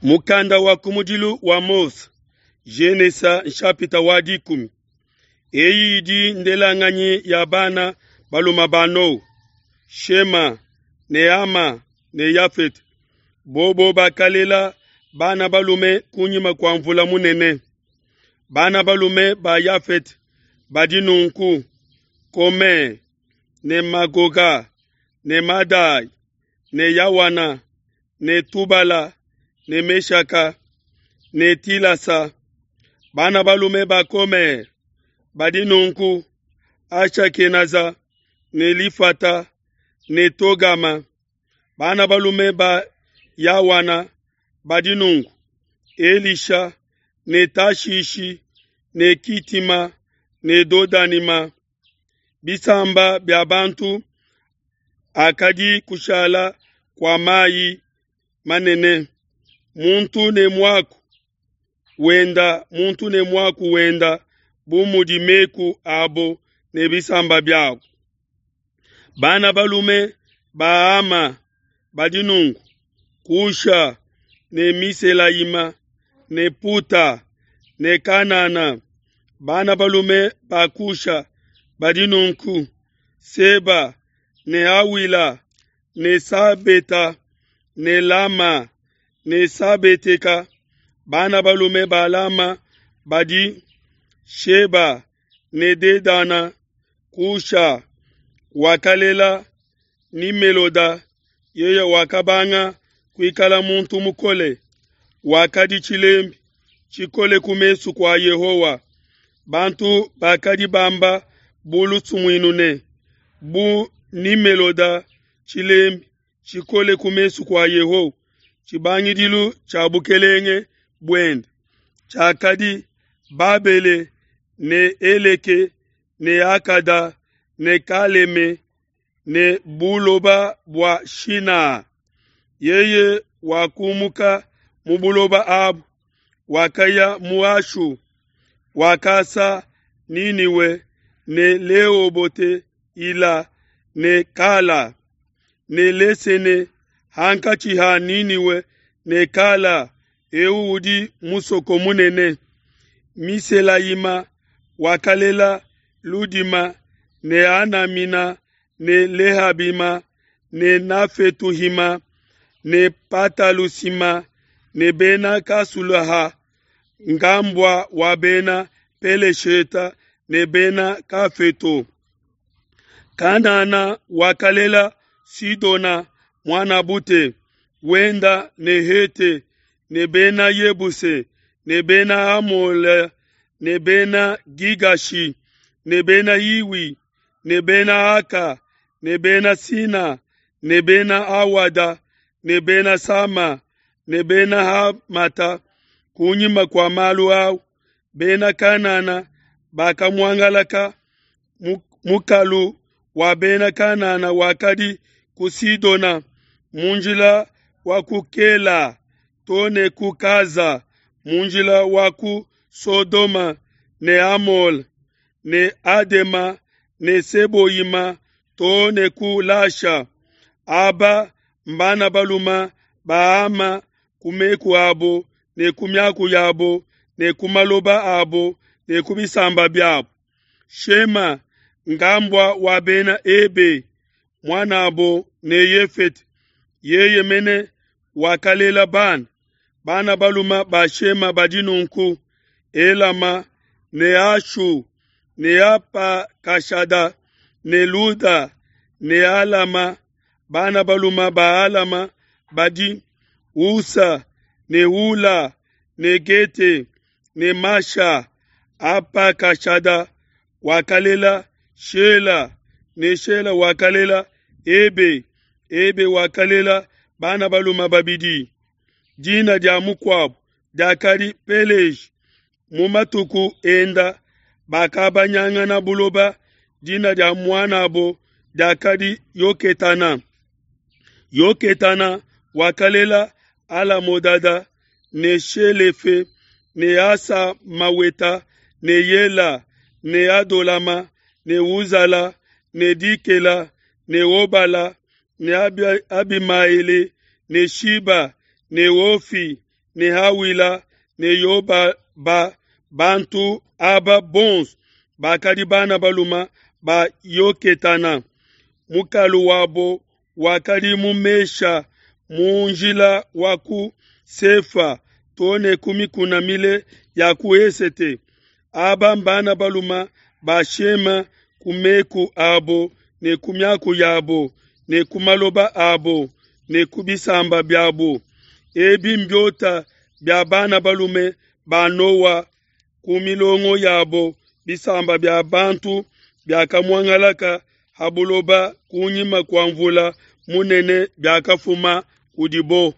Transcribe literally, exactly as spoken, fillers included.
Mukanda wa kumudilu wa Mose, Genesa nshapita wa dikumi. Eyi idi ndelanganyi ya bana balume ba Noa, Shema ne Hama ne Yafete. Bobo bakalela bana balume kunyima kua mvula munene. Bana balume ba Yafete badi nunku: Kome ne Magoga ne Madai ne Yawana ne Tubala ne Meshaka ne Tilasa. Bana balume ba Komer badi nunku: Ashakenaza ne Lifata ne Togama. Bana balume ba Yawana badi nunku: Elisha ne Tashishi ne Kitima ne Dodanima. Bisamba bia bantu akadi kushala kua mayi manene, muntu ne muaku wenda muntu ne muaku wenda bu mudi meku abo ne bisamba biabo. Bana balume ba Hama badi nunku: Kusha ne Miselayima ne Puta ne Kanana. Bana balume ba Kusha badi nunku: Seba ne Awila ne Sabeta ne Lama ne Sabeteka. Bana balume ba Lama badi Sheba ne Dedana. Kusha wakalela Nimeloda, yeye wakabanga kuikala muntu mukole, wakadi tshilembi tshikole ku mesu kua Yehowa. Bantu bakadi bamba bu lusumuinu ne, bu Nimeloda tshilembi tshikole ku mesu kua Yehowa. Tshibangidilu tshia bukelenge buende tshiakadi Babele ne Eleke ne Akada ne Kaleme ne buloba bua Shina. Yeye wakumuka mu buloba abu, wakaya mu Ashu, wakasa Niniwe ne Leobote Ila ne Kala ne Lesene hankatshi ha Niniwe ne Kala, eu udi musoko munene. Miselayima wakalela Ludima ne Anamina ne Lehabima ne Nafetuhima ne Patalusima ne Bena Kasulaha, ngambua wa Bena Pelesheta ne Bena Kafeto. Kanana wakalela Sidona muanabute wenda ne Hete ne Bena Yebuse ne Bena Amole ne Bena Gigashi ne Bena Hiwi ne Bena Aka ne Bena Sina ne Bena Awada ne Bena Sama ne Bena Hamata. Kunyima kua malu au, Bena Kanana bakamuangalaka. Mukalu wa Bena Kanana wakadi ku Sidona mu njila wa ku Kela to ne ku Kaza mu njila wa ku Sodoma ne Amole ne Adema ne Seboyima to ne ku Lasha. Aba mbana baluma ba Hama ku meku abo ne ku miaku yabo ne ku maloba abo ne ku bisamba biabo. Shema ngambua wa Bena Ebe muanabo ne Yefete, yeye mene wakalela bana. Bana baluma ba Shema badi nunku: Elama ne Ashu ne Apakashada ne Luda ne Alama. Bana baluma ba Alama badi Usa ne Hula ne Gete ne Masha. Apakashada wakalela Shela ne Shela wakalela Ebe. Ebe wakalela bana baluma babidi. Dina dia mukuabu diakadi Peleji. Mu matuku enda bakabanyangana buloba. Dina dia muanabo diakadi Yoketana. Yoketana wakalela Alamodada ne Shelefe ne Asamaweta ne Yela ne Adolama ne Uzala ne Dikela ne Obala ne Abimaele ne Shiba ne Ofi ne Hawila ne Yobaba. Bantu aba bonso bakadi bana balume ba Yoketana. Mukalu wabo wakadi mu Mesha mu njila wa ku Sefa too ne ku mikuna mile ya ku esete. Aba mbana balume ba Shema ku meku abo ne ku miaku yabo ne ku maloba abo ne ku bisamba biabo. Ebi mbiota bia bana balume ba Noa ku milongo yabo, bisamba bia bantu biakamuangalaka ha buloba kunyima kua mvula munene biakafuma kudibo.